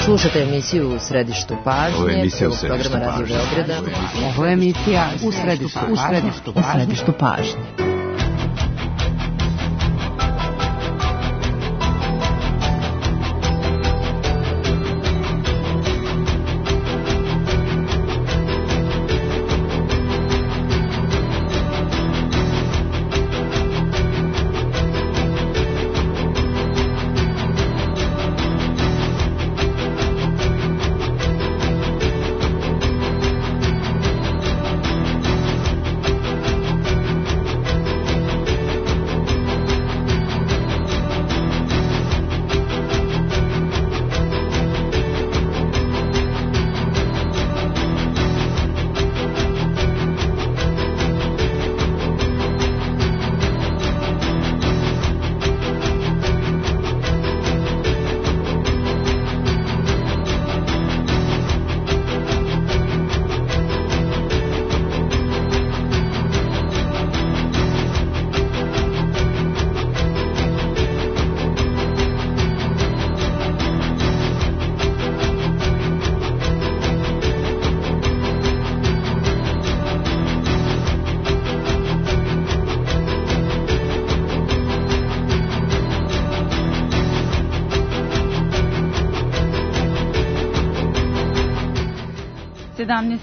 Slušate emisiju U središtu pažnje, programa Radio Beograda. Ovo je emisija U središtu pažnje.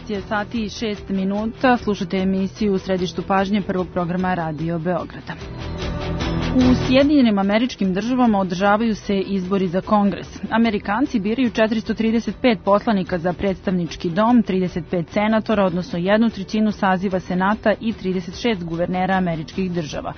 Je sati i 6 minuta. Slušate emisiju U središtu pažnje prvog programa Radio Beograda. U Sjedinjenim Američkim Državama održavaju se izbori za Kongres. Amerikanci biraju 435 poslanika za predstavnički dom, 35 senatora, odnosno 1/3 saziva Senata i 36 guvernera američkih država.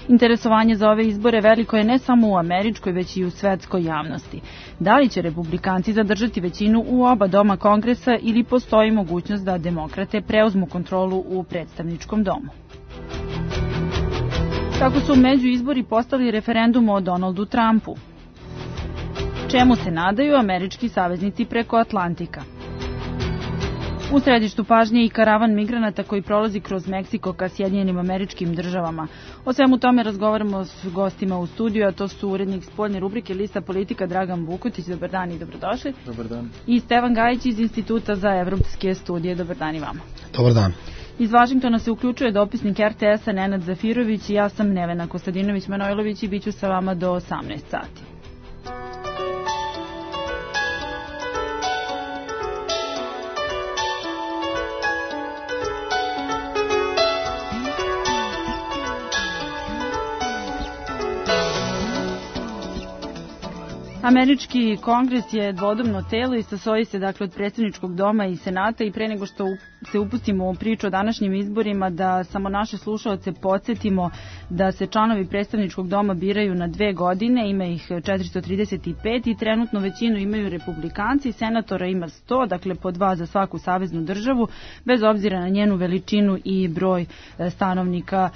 Interesovanje za ove izbore veliko je ne samo u američkoj, već i u svetskoj javnosti. Da li će republikanci zadržati većinu u oba doma Kongresa ili postoji mogućnost da demokrate preuzmu kontrolu u predstavničkom domu? Kako su među izbori postali referendum o Donaldu Trumpu? Čemu se nadaju američki saveznici preko Atlantika? U središtu pažnje i karavan migranata koji prolazi kroz Meksiko ka Sjedinjenim Američkim Državama. O svemu tome razgovaramo s gostima u studiju, a to su urednik spoljne rubrike Lista politika Dragan Vukotić. Dobar dan i dobrodošli. Dobar dan. I Stevan Gajić iz Instituta za evropske studije. Dobar dan i vama. Dobar dan. Iz Vašingtona se uključuje dopisnik RTS-a Nenad Zafirović i ja sam Nevena Kostadinović-Manojlović i bit ću sa vama do 18 sati. Američki kongres je dvodomno telo i sastoji se dakle od predstavničkog doma i senata i pre nego što se upustimo u priču o današnjim izborima da samo naše slušaoce podsjetimo da se članovi predstavničkog doma biraju na 2 godine, ima ih 435 i trenutno većinu imaju republikanci, senatora ima 100, dakle po 2 za svaku saveznu državu, bez obzira na njenu veličinu i broj stanovnika.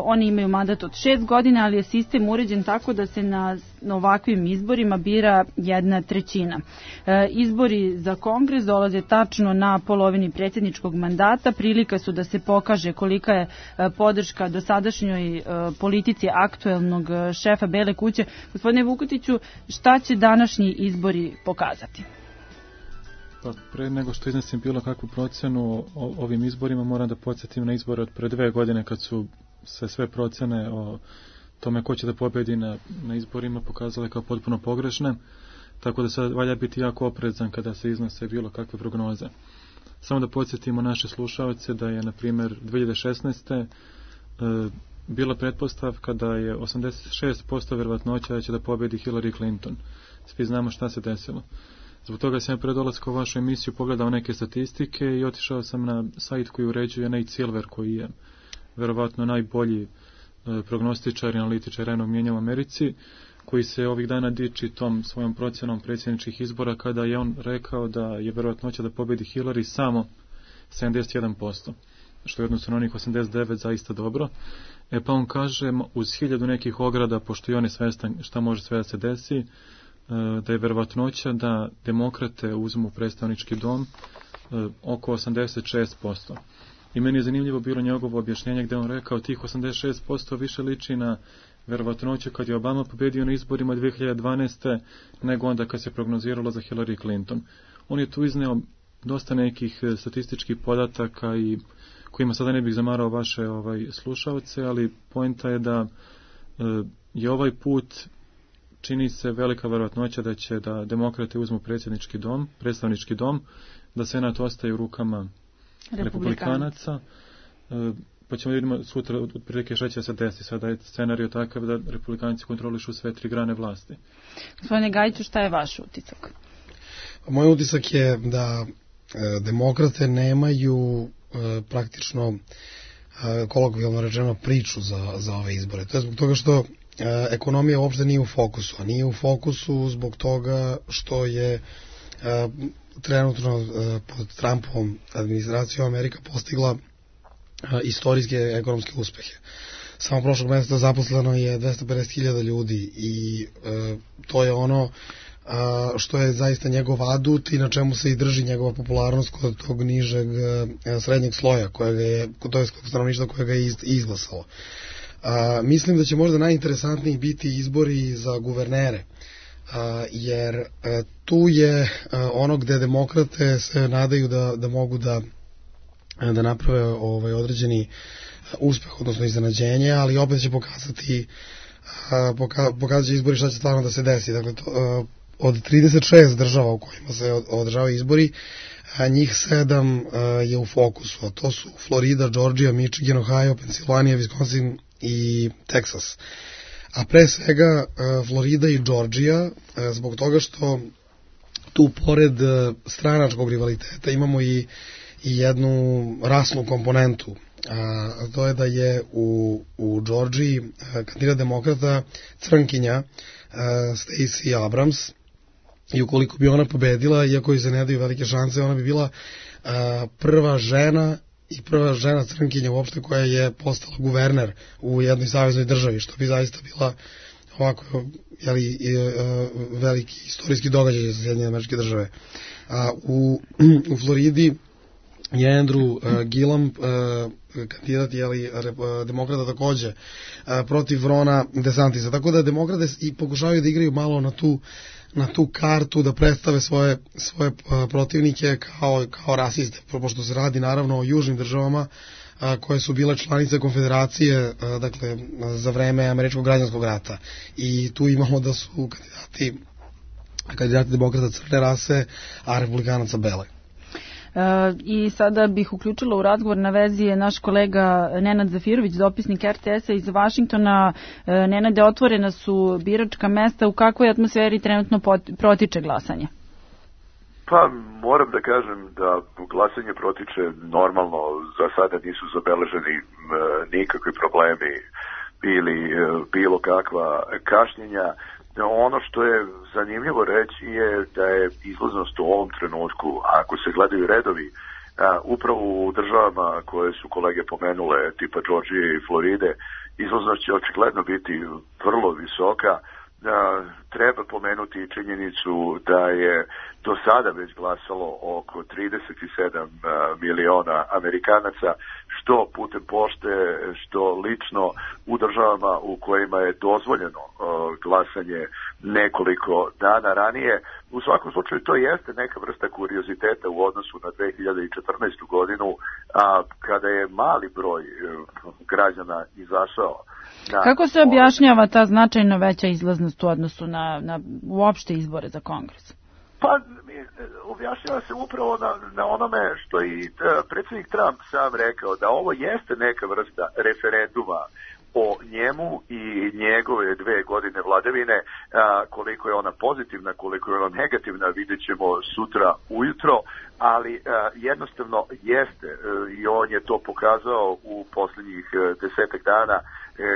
Oni imaju mandat od 6 godina, ali je sistem uređen tako da se na ovakvim izborima bira 1/3. Izbori za Kongres dolaze tačno na polovini predsjedničkog mandata. Prilika su da se pokaže kolika je podrška dosadašnjoj politici aktuelnog šefa Bele kuće. Gospodine Vukotiću, šta će današnji izbori pokazati? Pa pre nego što iznesim bilo kakvu procenu o ovim izborima, moram da podsjetim na izbore od pre 2 godine kad su se sve procene o tome ko će da pobedi na izborima pokazale kao potpuno pogrešne, tako da sad valja biti jako oprezan kada se iznose bilo kakve prognoze. Samo da podsjetimo naše slušaoce da je, na primjer, 2016. bila pretpostavka da je 86% verovatnoća da će da pobedi Hillary Clinton. Svi znamo šta se desilo. Zbog toga sam pre dolaska u vašu emisiju pogledao neke statistike i otišao sam na sajt koji uređuje Nate Silver, koji je verovatno najbolji prognostičar i analitičar javnog mnijenja u Americi, koji se ovih dana diči tom svojom procjenom predsjedničkih izbora, kada je on rekao da je verovatnoća da pobedi Hillary samo 71%, što je odnosno na onih 89 zaista dobro. Pa on kaže, uz 1000 nekih ograda, pošto i on je svestan šta može sve da se desi, da je verovatnoća da demokrate uzmu predstavnički dom oko 86%. I meni je zanimljivo bilo njegovo objašnjenje gdje on rekao tih 86% više liči na verovatnoću kad je Obama pobedio na izborima 2012. nego onda kad se prognoziralo za Hillary Clinton. On je tu izneo dosta nekih statističkih podataka i kojima sada ne bih zamarao vaše slušaoce, ali poenta je da je ovaj put čini se velika verovatnoća da demokrate uzmu predstavnički dom, da senat ostaje u rukama republikanaca. Pa ćemo vidimo sutra otprilike šta će se desiti. Sada je scenarij takav da republikanci kontrolišu sve 3 grane vlasti. Gospodine Gajiću, šta je vaš utisak? Moj utisak je da demokrate nemaju praktično kolokvijalno rečeno priču za ove izbore. To je zbog toga što ekonomija uopšte nije u fokusu, a nije u fokusu zbog toga što je trenutno pod Trumpovom administracijom Amerika postigla istorijske ekonomske uspehe. Samo prošlog mjeseca zaposleno je 250.000 ljudi i to je ono što je zaista njegov adut i na čemu se i drži njegova popularnost kod tog nižeg srednjeg sloja to je stanovništva koje ga je izglasalo. Mislim da će možda najinteresantniji biti izbori za guvernere, jer tu je ono gde demokrate se nadaju da mogu da naprave određeni uspeh, odnosno iznenađenje, ali opet će pokazat će izbori šta će stvarno da se desi. Dakle, od 36 država u kojima se održavaju izbori, njih 7 je u fokusu, a to su Florida, Georgia, Michigan, Ohio, Pensilvanija, Wisconsin i Texas. A pre svega Florida i Georgia, zbog toga što tu pored stranačkog rivaliteta imamo i jednu rasnu komponentu, a to je da je u Georgiji kandidat demokrata crnkinja Stacey Abrams, i ukoliko bi ona pobedila, iako joj se ne daju velike šanse, ona bi bila prva žena crnkinja uopšte koja je postala guverner u jednoj saveznoj državi, što bi zaista bila ovako veliki istorijski događaj za Sjedinjene Američke Države. U Floridi je Andrew Gillum, kandidat demokrata takođe, protiv Rona DeSantisa. Tako da demokrate i pokušavaju da igraju malo na tu kartu, da predstave svoje protivnike kao rasiste, pošto se radi naravno o južnim državama koje su bile članice konfederacije, dakle, za vreme Američkog građanskog rata. I tu imamo da su kandidati demokrata crne rase, a republikanaca bele. I sada bih uključila u razgovor, na vezi je naš kolega Nenad Zafirović, dopisnik RTS-a iz Vašingtona. Nenade, otvorena su biračka mesta, u kakvoj atmosferi trenutno protiče glasanje? Pa moram da kažem da glasanje protiče normalno, za sada nisu zabeleženi nikakvi problemi ili bilo kakva kašnjenja. Ono što je zanimljivo reći je da je izlaznost u ovom trenutku, ako se gledaju redovi, upravo u državama koje su kolege pomenule, tipa Georgije i Floride, izlaznost će očigledno biti vrlo visoka. Treba pomenuti činjenicu da je do sada već glasalo oko 37 miliona Amerikanaca, što putem pošte, što lično u državama u kojima je dozvoljeno glasanje nekoliko dana ranije. U svakom slučaju to jeste neka vrsta kurioziteta u odnosu na 2014. godinu, kada je mali broj građana izašao. Kako se objašnjava ta značajno veća izlaznost u odnosu na uopšte izbore za Kongres? Pa objašnjava se upravo na onome što i predsjednik Trump sam rekao, da ovo jeste neka vrsta referenduma o njemu i njegove 2 godine vladavine. Koliko je ona pozitivna, koliko je ona negativna, vidjet ćemo sutra ujutro, ali jednostavno jeste, i on je to pokazao u posljednjih 10 dana,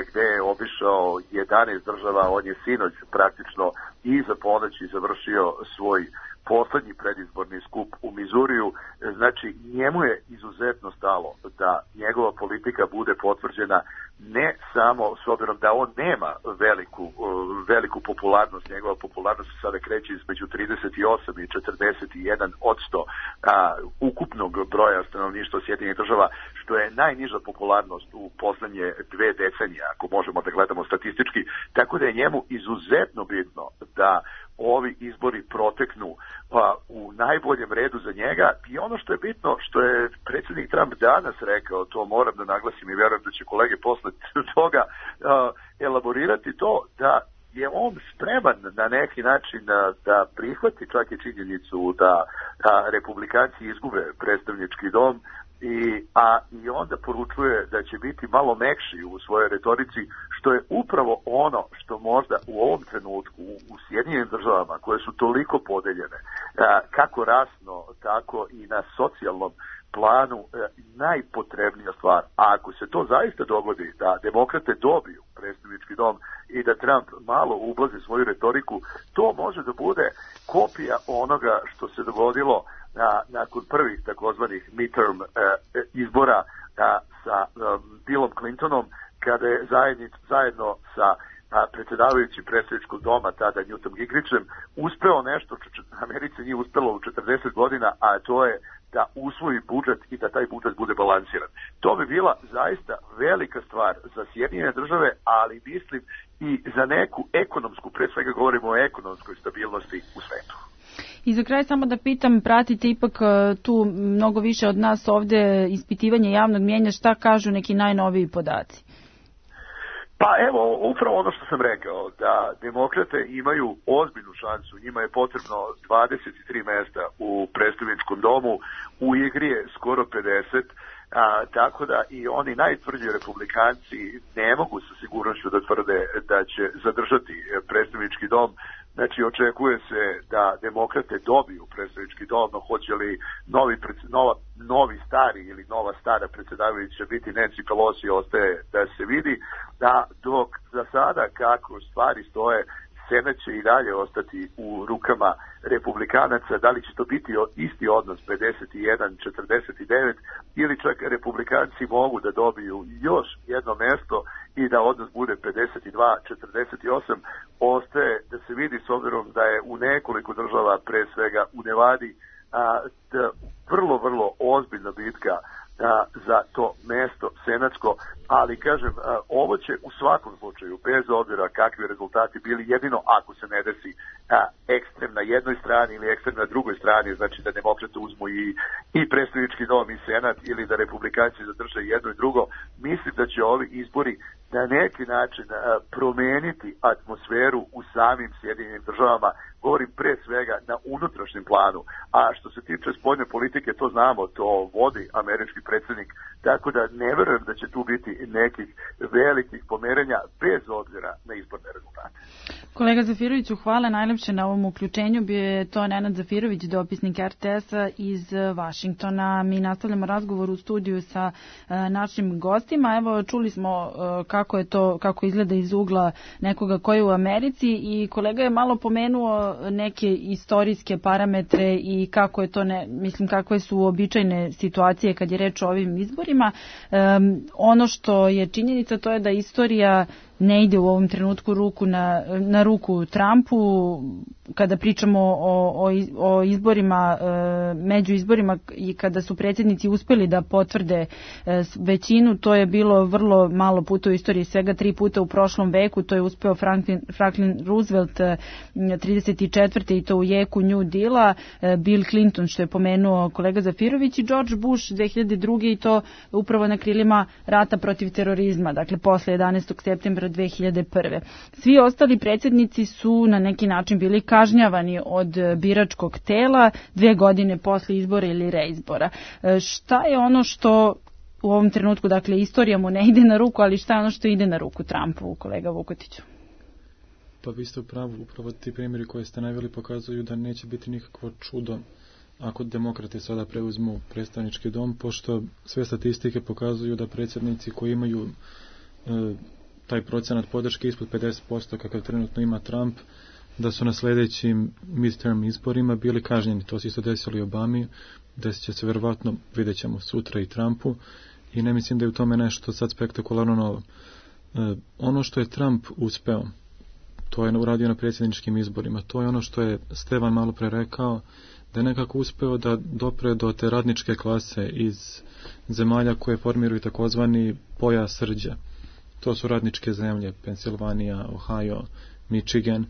gde je obišao 11 država. On je sinoć praktično iza ponoći završio svoj poslednji predizborni skup u Mizuriju. Znači, njemu je izuzetno stalo da njegova politika bude potvrđena, ne samo s obzirom da on nema veliku popularnost. Njegova popularnost se sada kreće između 38 i 41% ukupnog broja stanovništva Sjedinjenih Država, što što je najniža popularnost u poslednje 2 decenije, ako možemo da gledamo statistički, tako da je njemu izuzetno bitno da ovi izbori proteknu u najboljem redu za njega. I ono što je bitno, što je predsjednik Trump danas rekao, to moram da naglasim i verujem da će kolege posle toga elaborirati to, da je on spreman na neki način da prihvati čak i činjenicu da republikanci izgube predstavnički dom i onda poručuje da će biti malo mekši u svojoj retorici, što je upravo ono što možda u ovom trenutku u Sjedinjenim državama, koje su toliko podeljene, kako rasno, tako i na socijalnom planu, najpotrebnija stvar. A ako se to zaista dogodi, da demokrate dobiju predstavnički dom i da Trump malo ublazi svoju retoriku, to može da bude kopija onoga što se dogodilo nakon prvih takozvanih midterm izbora sa Billom Clintonom, kada je zajedno sa predsjedavajućim predstavničkog doma, tada Newtom Gingrichom, uspeo nešto što Americi nije uspelo u 40 godina, a to je da usvoji budžet i da taj budžet bude balansiran. To bi bila zaista velika stvar za Sjedinjene države, ali mislim i za neku ekonomsku, pre svega govorimo o ekonomskoj stabilnosti u svetu. I za kraj samo da pitam, pratite ipak tu mnogo više od nas ovde ispitivanje javnog mnijenja, šta kažu neki najnoviji podaci? Pa evo, upravo ono što sam rekao, da demokrate imaju ozbiljnu šansu, njima je potrebno 23 mesta u predstavničkom domu, u igri je skoro 50, tako da i oni najtvrđi republikanci ne mogu sa sigurnošću da tvrde da će zadržati predstavnički dom. Znači, očekuje se da demokrate dobiju predstavnički dom, no hoće li novi stari ili nova stara predsjedavajuća biti Nancy Pelosi, ostaje da se vidi, da dok za sada kako stvari stoje, Senat će i dalje ostati u rukama republikanaca. Da li će to biti isti odnos 51-49 ili čak republikanci mogu da dobiju još jedno mesto i da odnos bude 52-48, ostaje da se vidi, s obzirom da je u nekoliko država, pre svega u Nevadi, vrlo ozbiljna bitka za to mesto senatsko, ali kažem, ovo će u svakom slučaju, bez obzira kakvi rezultati bili, jedino ako se ne desi ekstrem na jednoj strani ili ekstrem na drugoj strani, znači da demokrate uzmu i predstavnički dom i senat, ili da republikanci zadrže jedno i drugo, mislim da će ovi izbori na neki način promeniti atmosferu u samim Sjedinjenim državama, govorim pre svega na unutrašnjem planu, a što se tiče spoljne politike, to znamo, to vodi američki predsjednik, tako da ne verujem da će tu biti nekih velikih pomerenja bez obzira na izborne rezultate. Kolega Zafiroviću, hvala najlepše na ovom uključenju. Bio je to Nenad Zafirović, dopisnik RTS-a iz Vašingtona. Mi nastavljamo razgovor u studiju sa našim gostima. Evo, čuli smo kako izgleda iz ugla nekoga koji je u Americi i kolega je malo pomenuo neke istorijske parametre i kako je to, kakve su uobičajene situacije kad je reč o ovim izborima. Ono što je činjenica, to je da istorija ne ide u ovom trenutku na ruku Trumpu. Kada pričamo o izborima, među izborima i kada su predsjednici uspeli da potvrde većinu, to je bilo vrlo malo puta u istoriji, svega 3 puta u prošlom veku. To je uspeo Franklin Roosevelt 34. i to u jeku New Deala, Bill Clinton, što je pomenuo kolega Zafirović, i George Bush 2002. i to upravo na krilima rata protiv terorizma, dakle posle 11. septembra 2001. Svi ostali predsjednici su na neki način bili kažnjavani od biračkog tela 2 godine posle izbora ili reizbora. Šta je ono što u ovom trenutku, dakle istorija mu ne ide na ruku, ali šta je ono što ide na ruku Trumpu, kolega Vukotiću? Pa vi ste upravo ti primjeri koje ste naveli pokazuju da neće biti nikakvo čudo ako demokrate sada preuzmu predstavnički dom, pošto sve statistike pokazuju da predsjednici koji imaju taj procenat podrške ispod 50% kakav trenutno ima Trump, da su na sljedećim midterm izborima bili kažnjeni. To se isto desilo i Obami, desit će se verovatno, vidjet ćemo sutra i Trumpu, i ne mislim da je u tome nešto sad spektakularno novo. Ono što je Trump uspeo, to je uradio na predsjedničkim izborima, to je ono što je Stevan malo pre rekao, da je nekako uspeo da dopre do te radničke klase iz zemalja koje formiraju takozvani pojas rđa. To su radničke zemlje, Pensilvanija, Ohio, Michigan.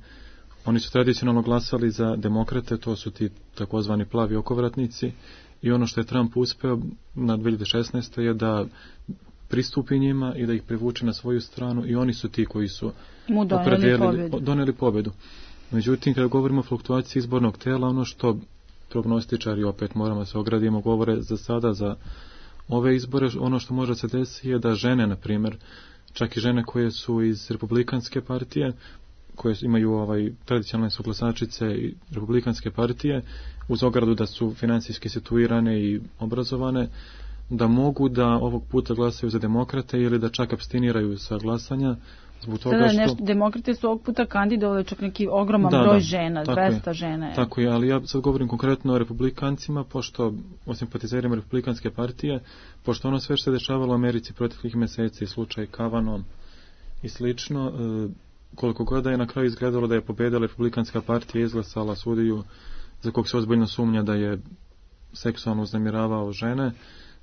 Oni su tradicionalno glasali za demokrate, to su ti takozvani plavi okovratnici, i ono što je Trump uspeo na 2016. je da pristupi njima i da ih privuče na svoju stranu, i oni su ti koji su doneli pobedu. Međutim, kada govorimo o fluktuaciji izbornog tela, ono što prognostičari, opet moramo se ogradimo, govore za sada, za ove izbore, ono što može se desiti je da žene, na primjer, čak i žene koje su iz Republikanske partije, koje imaju tradicionalne su glasačice i Republikanske partije, uz ogradu da su financijski situirane i obrazovane, da mogu da ovog puta glasaju za demokrate ili da čak abstiniraju sa glasanja. Zbog toga što... Demokrate su ovog puta kandidovali čak neki ogroman broj žena, 200 žena. Tako je, ali ja sad govorim konkretno o republikancima, pošto, o simpatizerima Republikanske partije, pošto ono sve što se dešavalo u Americi proteklih meseci, slučaj Kavanaugh i slično, koliko god je na kraju izgledalo da je pobedila Republikanska partija, izglasala sudiju za kog se ozbiljno sumnja da je seksualno uznemiravao žene,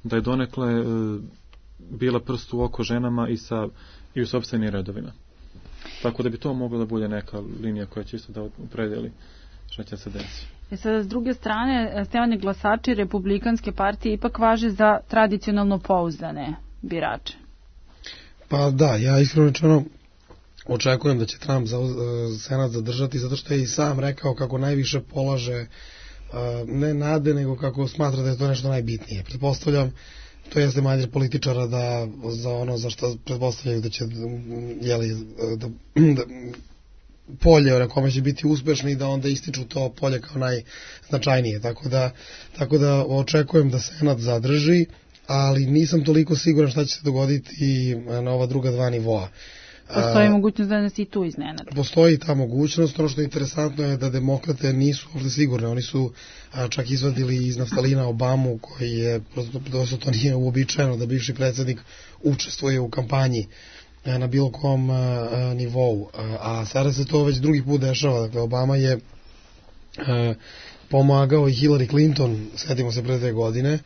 da je donekle bila prst u oko ženama i u sopstvenim redovima. Tako da bi to mogla da bude neka linija koja će isto da opredeli šta će se desiti. Sada, s druge strane, stevani glasači Republikanske partije ipak važe za tradicionalno pouzdane birače. Pa da, ja iskreno rečeno očekujem da će Trump Senat zadržati, zato što je i sam rekao kako najviše polaže ne nade, nego kako smatra da je to nešto najbitnije. Pretpostavljam, to jeste manjer političara da za ono za što pretpostavljaju da će da polje na kome će biti uspešni, da onda ističu to polje kao najznačajnije. Tako da očekujem da Senat zadrži, ali nisam toliko siguran šta će se dogoditi na ova druga dva nivoa. Postoji mogućnost da nas i tu iznenade. Postoji ta mogućnost. Ono što je interesantno je da demokrate nisu ovdje sigurne. Oni su čak izvadili iz naftalina Obamu, koji je, prosto to nije uobičajeno da bivši predsjednik učestvuje u kampanji na bilo kom nivou. A sada se to već drugi put dešava. Dakle, Obama je pomagao i Hillary Clinton, sjetimo se pre 2 godine,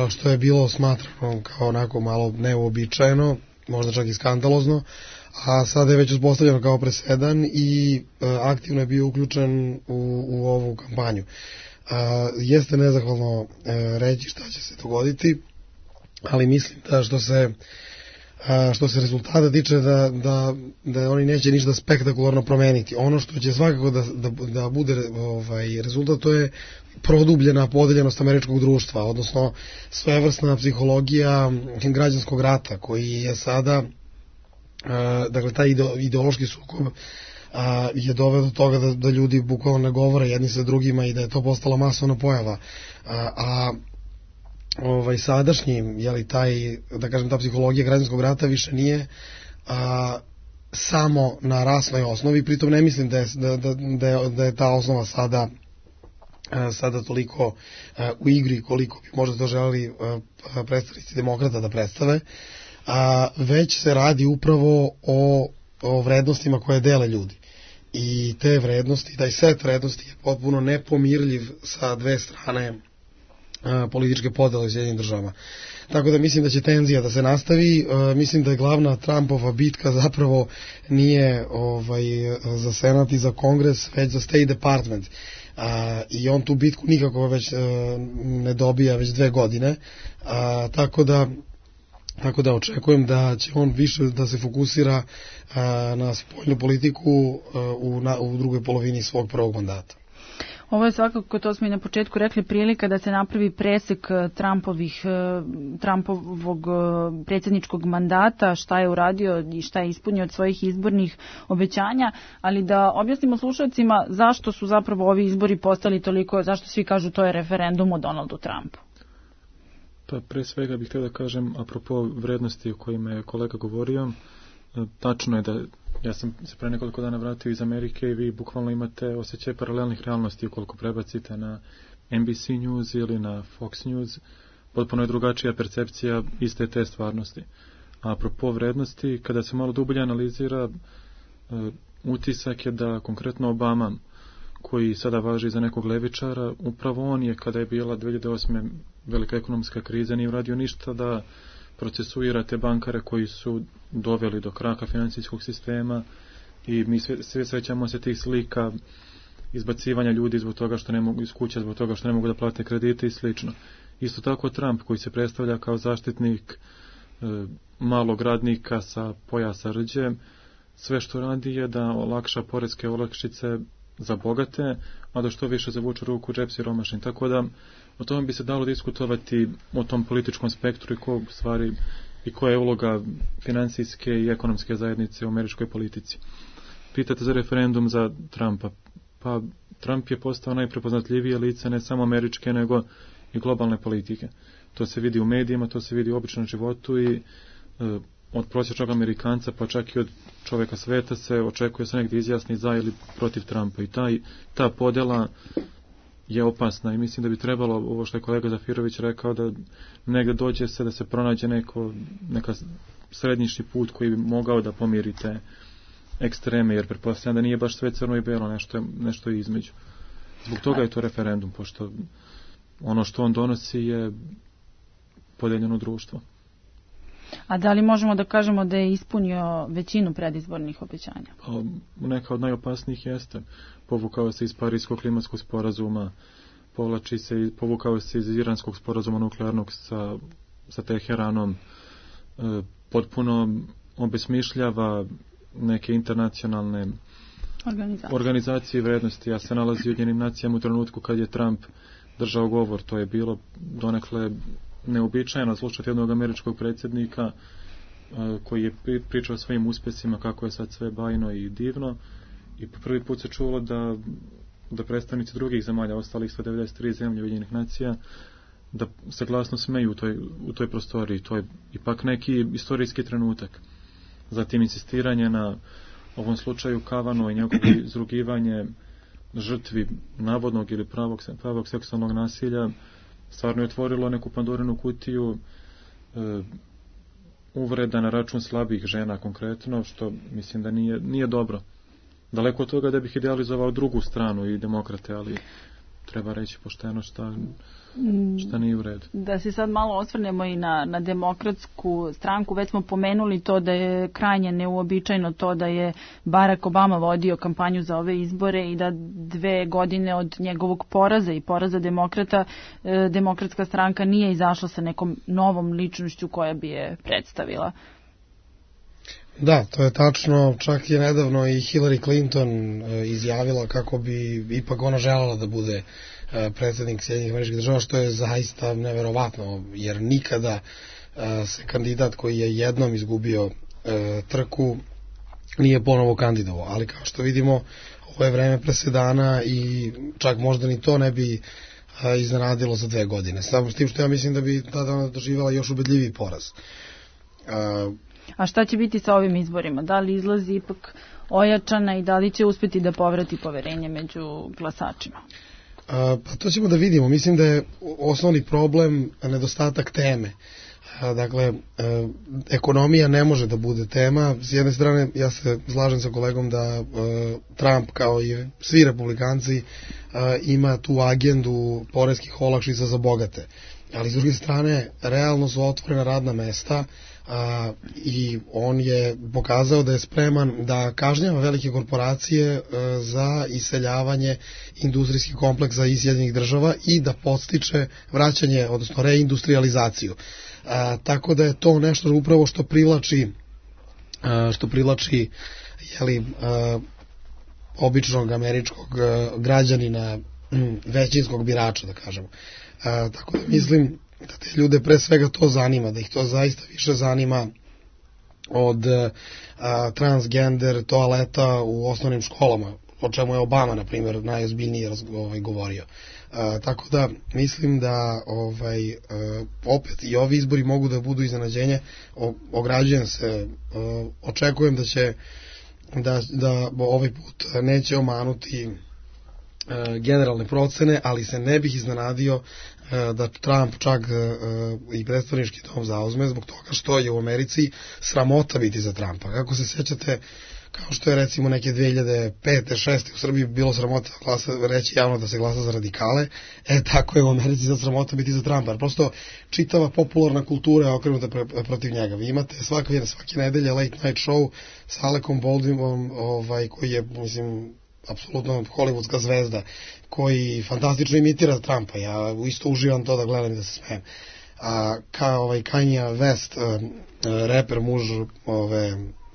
što je bilo smatrano kao onako malo neuobičajeno, možda čak i skandalozno, a sada je već uspostavljeno kao presedan i aktivno je bio uključen u ovu kampanju. Jeste nezahvalno reći šta će se dogoditi, ali mislim da što se rezultata tiče da oni neće ništa spektakularno promeniti. Ono što će svakako da bude rezultat, to je produbljena podeljenost američkog društva, odnosno svevrsna psihologija građanskog rata, koji je sada, dakle, taj ideološki sukob je doveo do toga da ljudi bukvalno ne govore jedni sa drugima i da je to postala masovna pojava. Sadašnji, da kažem, ta psihologija građanskog rata više nije samo na rasnoj osnovi, pritom ne mislim da je ta osnova sada toliko u igri koliko bi možda to želeli predstavnici demokrata da predstave, već se radi upravo o vrednostima koje dele ljudi. I te vrednosti, taj set vrednosti je potpuno nepomirljiv sa dve strane političke podele u Sjedinjenim Državama. Tako da mislim da će tenzija da se nastavi. Mislim da je glavna Trumpova bitka zapravo nije za Senat i za Kongres, već za State Department. I on tu bitku nikako već ne dobija već 2 godine. Tako da očekujem da će on više da se fokusira na spoljnu politiku u drugoj polovini svog prvog mandata. Ovo je svakako, to smo i na početku rekli, prilika da se napravi presek Trumpovog predsjedničkog mandata, šta je uradio i šta je ispunio od svojih izbornih obećanja, ali da objasnimo slušalcima zašto su zapravo ovi izbori postali toliko, zašto svi kažu to je referendum o Donaldu Trumpu. Pa pre svega bih htio da kažem, apropo vrednosti o kojima je kolega govorio, tačno je da ja sam se pre nekoliko dana vratio iz Amerike i vi bukvalno imate osjećaj paralelnih realnosti ukoliko prebacite na NBC News ili na Fox News, potpuno je drugačija percepcija iste te stvarnosti. A apropo vrednosti, kada se malo dublje analizira, utisak je da konkretno Obama, koji sada važi za nekog levičara, upravo on je, kada je bila 2008. velika ekonomska kriza, nije uradio ništa da procesuira te bankare koji su doveli do kraka financijskog sistema, i mi sve srećamo se tih slika izbacivanja ljudi zbog toga što ne mogu iz kuća, zbog toga što ne mogu da plate kredite i slično. Isto tako Trump, koji se predstavlja kao zaštitnik malog radnika sa pojasa rđe, sve što radi je da olakša poreske olakšice za bogate, a da što više zavuču ruku u džep siromašnim. Tako da o tome bi se dalo diskutovati, o tom političkom spektru i koja je uloga financijske i ekonomske zajednice u američkoj politici. Pitate za referendum za Trumpa. Pa Trump je postao najprepoznatljivije lice ne samo američke, nego i globalne politike. To se vidi u medijima, to se vidi u običnom životu i od prosječnog Amerikanca, pa čak i od čovjeka sveta se očekuje se negdje izjasni za ili protiv Trumpa. I ta podjela je opasna i mislim da bi trebalo, ovo što je kolega Zafirović rekao, da negdje dođe se da se pronađe neka srednjišni put koji bi mogao da pomiri te ekstreme, jer pretpostavljam da nije baš sve crno i belo, nešto je između. Zbog toga je to referendum, pošto ono što on donosi je podeljeno društvo. A da li možemo da kažemo da je ispunio većinu predizbornih obećanja? Pa, neka od najopasnijih jeste. Povukao se iz Parijskog klimatskog sporazuma, povukao se iz Iranskog sporazuma nuklearnog sa Teheranom, potpuno obesmišljava neke internacionalne organizacije vrednosti. Ja se nalazi u Ujedinjenim nacijama u trenutku kad je Trump držao govor. To je bilo donekle neobičajeno slušati jednog američkog predsjednika koji je pričao o svojim uspjesima, kako je sad sve bajno i divno, i po prvi put se čulo da predstavnici drugih zemalja, ostalih 193 zemlje Ujedinjenih nacija, da se glasno smeju u toj prostoriji. To je ipak neki istorijski trenutak. Zatim insistiranje na ovom slučaju Kavano i njegovo izrugivanje žrtvi navodnog ili pravog seksualnog nasilja stvarno je otvorilo neku Pandorinu kutiju uvreda na račun slabih žena konkretno, što mislim da nije dobro. Daleko od toga da bih idealizovao drugu stranu i demokrate, ali treba reći pošteno šta nije u redu. Da se sad malo osvrnemo i na demokratsku stranku. Već smo pomenuli to da je krajnje neuobičajeno to da je Barack Obama vodio kampanju za ove izbore i da 2 godine od njegovog poraza i poraza demokrata, demokratska stranka nije izašla sa nekom novom ličnošću koja bi je predstavila. Da, to je tačno. Čak je nedavno i Hillary Clinton izjavila kako bi ipak ona željela da bude predsjednik Sjedinjenih Američkih Država, što je zaista neverovatno, jer nikada se kandidat koji je jednom izgubio trku nije ponovo kandidovao. Ali kao što vidimo, ovo je vreme presedana i čak možda ni to ne bi iznenadilo za 2 godine. Samo s tim što ja mislim da bi tada ona doživjela još ubedljiviji poraz. A šta će biti sa ovim izborima? Da li izlazi ipak ojačana i da li će uspjeti da povrati poverenje među glasačima? Pa to ćemo da vidimo. Mislim da je osnovni problem nedostatak teme. Dakle, ekonomija ne može da bude tema. S jedne strane, ja se slažem sa kolegom da Trump, kao i svi republikanci, ima tu agendu poreskih olakšica za bogate. Ali s druge strane, realno su otvorena radna mesta i on je pokazao da je spreman da kažnjava velike korporacije za iseljavanje industrijskih kompleksa iz Sjedinjenih Država i da podstiče vraćanje, odnosno reindustrializaciju. Tako da je to nešto upravo što privlači običnog američkog građanina, većinskog birača, da kažemo. Tako da mislim da te ljude pre svega to zanima, da ih to zaista više zanima od transgender toaleta u osnovnim školama, o čemu je Obama, na primjer, najozbiljnije govorio. Tako da mislim da opet i ovi izbori mogu da budu iznenađenje. Ograđujem se, očekujem da ovaj put neće omanuti generalne procene, ali se ne bih iznenadio da Trump čak i predstavnički dom zauzme, zbog toga što je u Americi sramota biti za Trumpa. Kako se sjećate kao što je recimo neke 2005. 2006. u Srbiji bilo sramota reći javno da se glasa za radikale, tako je u Americi za sramota biti za Trumpa. Prosto čitava popularna kultura je okrenuta protiv njega. Vi imate svake nedelje late night show sa Alekom Baldwinom, koji je, mislim, apsolutno hollywoodska zvezda, koji fantastično imitira Trumpa. Ja isto uživam to da gledam i da se smijem. A Kanye West, reper, muž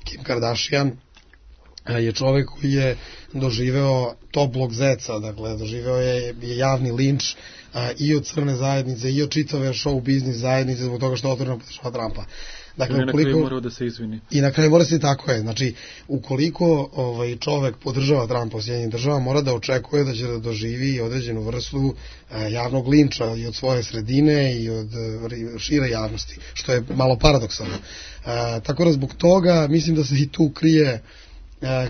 Kim Kardashian, je čovek koji je doživeo toplog zeca, dakle doživeo je javni linč i od crne zajednice i od čitave show biznis zajednice zbog toga što otvoreno podržava Trumpa. Dakle, na kraju morao da se izvini. I na kraju mora se, tako je. Znači, ukoliko čovek podržava Trumpa u Sjedinjenim državama, mora da očekuje da će da doživi određenu vrstu javnog linča i od svoje sredine i od šire javnosti, što je malo paradoksalno. Tako da zbog toga mislim da se i tu krije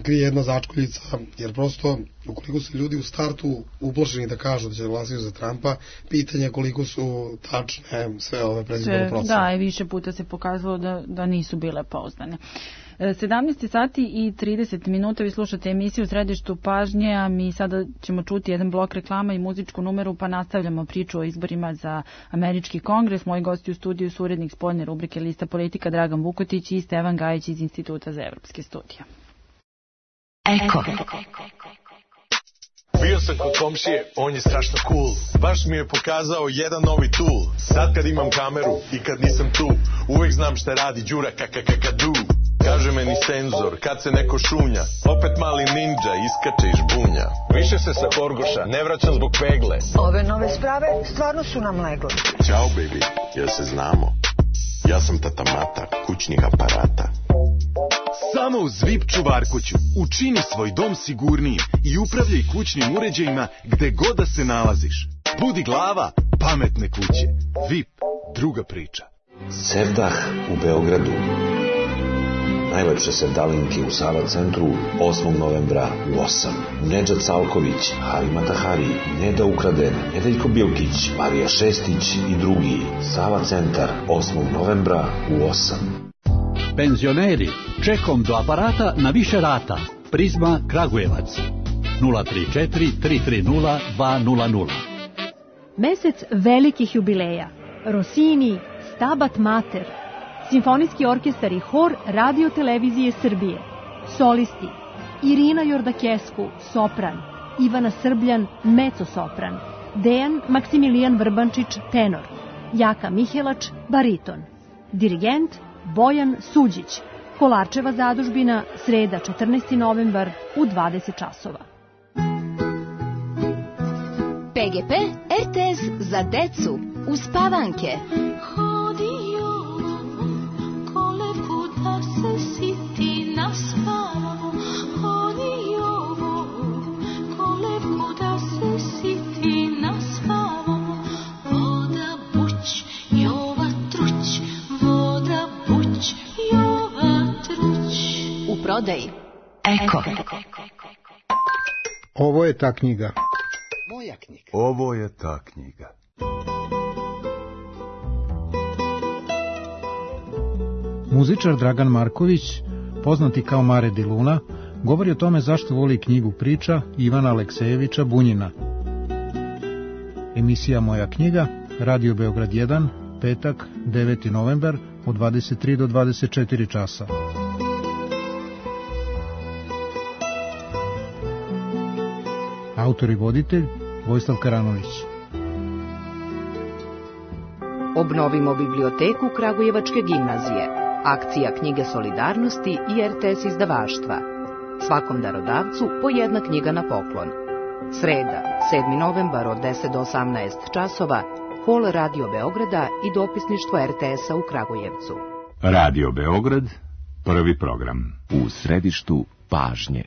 jedna začkoljica, jer prosto ukoliko su ljudi u startu uplašeni da kažu da će glasati za Trumpa, pitanje je koliko su tačne sve ove predizborne procene. Da, i više puta se pokazalo da nisu bile pouzdane. 17 sati i 30 minuta, vi slušate emisiju u Središtu pažnje, a mi sada ćemo čuti jedan blok reklama i muzičku numeru, pa nastavljamo priču o izborima za Američki kongres. Moji gosti u studiju su urednik spoljne rubrike Lista politika Dragan Vukotić i Stevan Gajić iz Instituta za evropske studije. Eko. Bio sam kod komšije, on je strašno cool. Baš mi je pokazao jedan novi tool. Sad kad imam kameru i kad nisam tu, uvek znam šta radi Đura kakakakadu. Kaže meni senzor, kad se neko šunja, opet mali ninja iskače iz žbunja. Više se sa Horgoša ne vraćam zbog pegle. Ove nove sprave stvarno su nam legle. Ćao baby, jel se znamo? Ja sam tata Mata, kućnih aparata. Samo uz VIP čuvarkuću učini svoj dom sigurnijim i upravljaj kućnim uređajima gde god da se nalaziš. Budi glava pametne kuće. VIP, druga priča. Sevdah u Beogradu. Najlepše sevdalinke u Sava centru 8. novembra u 8. Nedžad Salković, Harima Tahari, Neda Ukraden, Nedeljko Bilkić, Marija Šestić i drugi. Sava centar 8. novembra u 8. Penzioneri, čekom do aparata na više rata. Prizma Kragujevac 034 330 200. Mesec velikih jubileja. Rossini, Stabat Mater, Simfonijski orkestar i hor Radio Televizije Srbije. Solisti: Irina Jordakesku, sopran, Ivana Srbljan, mezzo-sopran, Dejan Maksimilijan Vrbančić, tenor, Jaka Mihelač, bariton. Dirigent Bojan Suđić. Kolarčeva zadužbina, sreda 14. novembar u 20 časova. PGP RTS za decu uz Pavanke. Prodaji. Eko. Ovo je ta knjiga. Moja knjiga. Ovo je ta knjiga. Muzičar Dragan Marković, poznati kao Mare di Luna, govori o tome zašto voli knjigu priča Ivana Aleksejevića Bunjina. Emisija Moja knjiga, Radio Beograd 1, petak, 9. novembar, od 23 do 24 časa. Autor i voditelj Vojislav Karanović. Obnovimo biblioteku Kragujevačke gimnazije. Akcija Knjige solidarnosti i RTS izdavaštva. Svakom darodavcu po jedna knjiga na poklon. Sreda, 7. novembar od 10 do 18 časova, hol Radio Beograda i dopisništvo RTS-a u Kragujevcu. Radio Beograd, prvi program. U središtu pažnje.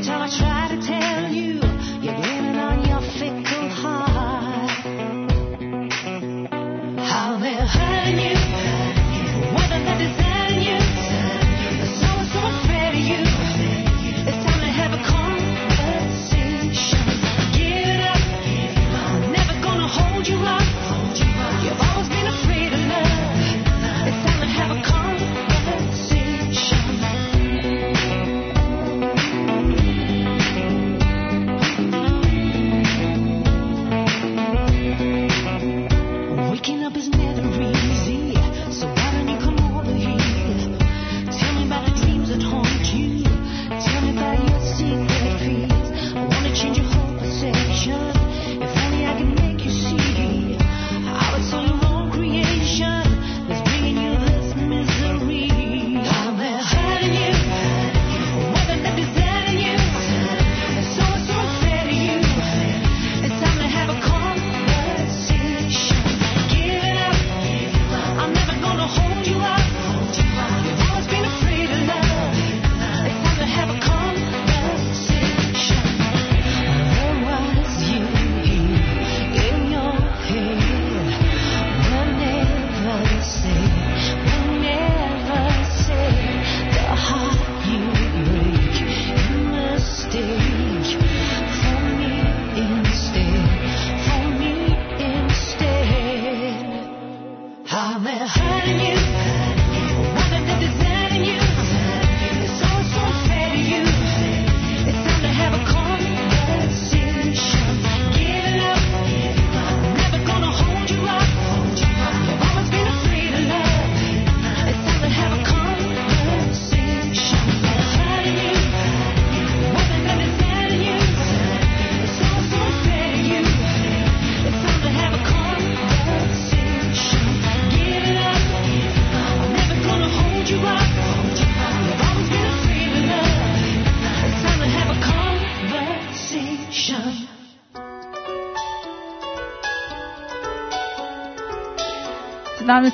Time I try to tell you, you're leaning on your fickle heart.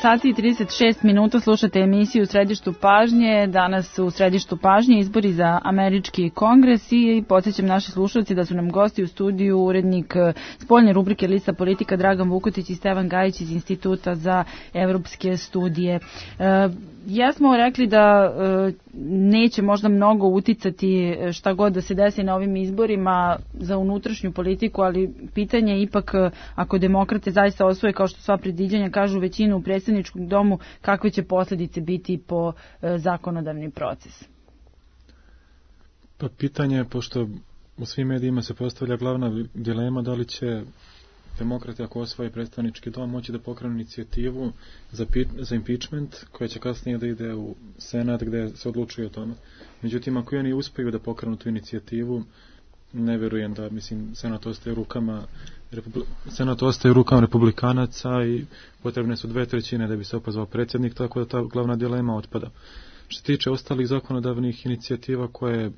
sati i 36 minuta slušate emisiju u Središtu pažnje. Danas u Središtu pažnje izbori za američki kongres i podsjećam naši slušalci da su nam gosti u studiju urednik spoljne rubrike Lista politika Dragan Vukotić i Stevan Gajić iz Instituta za evropske studije. Ja smo rekli da neće možda mnogo uticati šta god da se desi na ovim izborima za unutrašnju politiku, ali pitanje je ipak ako demokrate zaista osvoje, kao što sva predviđanja kažu, većinu u predsjedničkom domu, kakve će posljedice biti po zakonodavni proces? Pa pitanje je, pošto u svim medijima se postavlja glavna dilema da li će demokrati, ako osvoje predstavnički dom, moći da pokrenu inicijativu za impeachment, koja će kasnije da ide u Senat gdje se odlučuje o tome. Međutim, ako oni uspiju da pokrenu tu inicijativu, ne vjerujem da, Senat ostaje u rukama republikanaca i potrebne su 2/3 da bi se opozvao predsjednik, tako da ta glavna dilema otpada. Što se tiče ostalih zakonodavnih inicijativa koje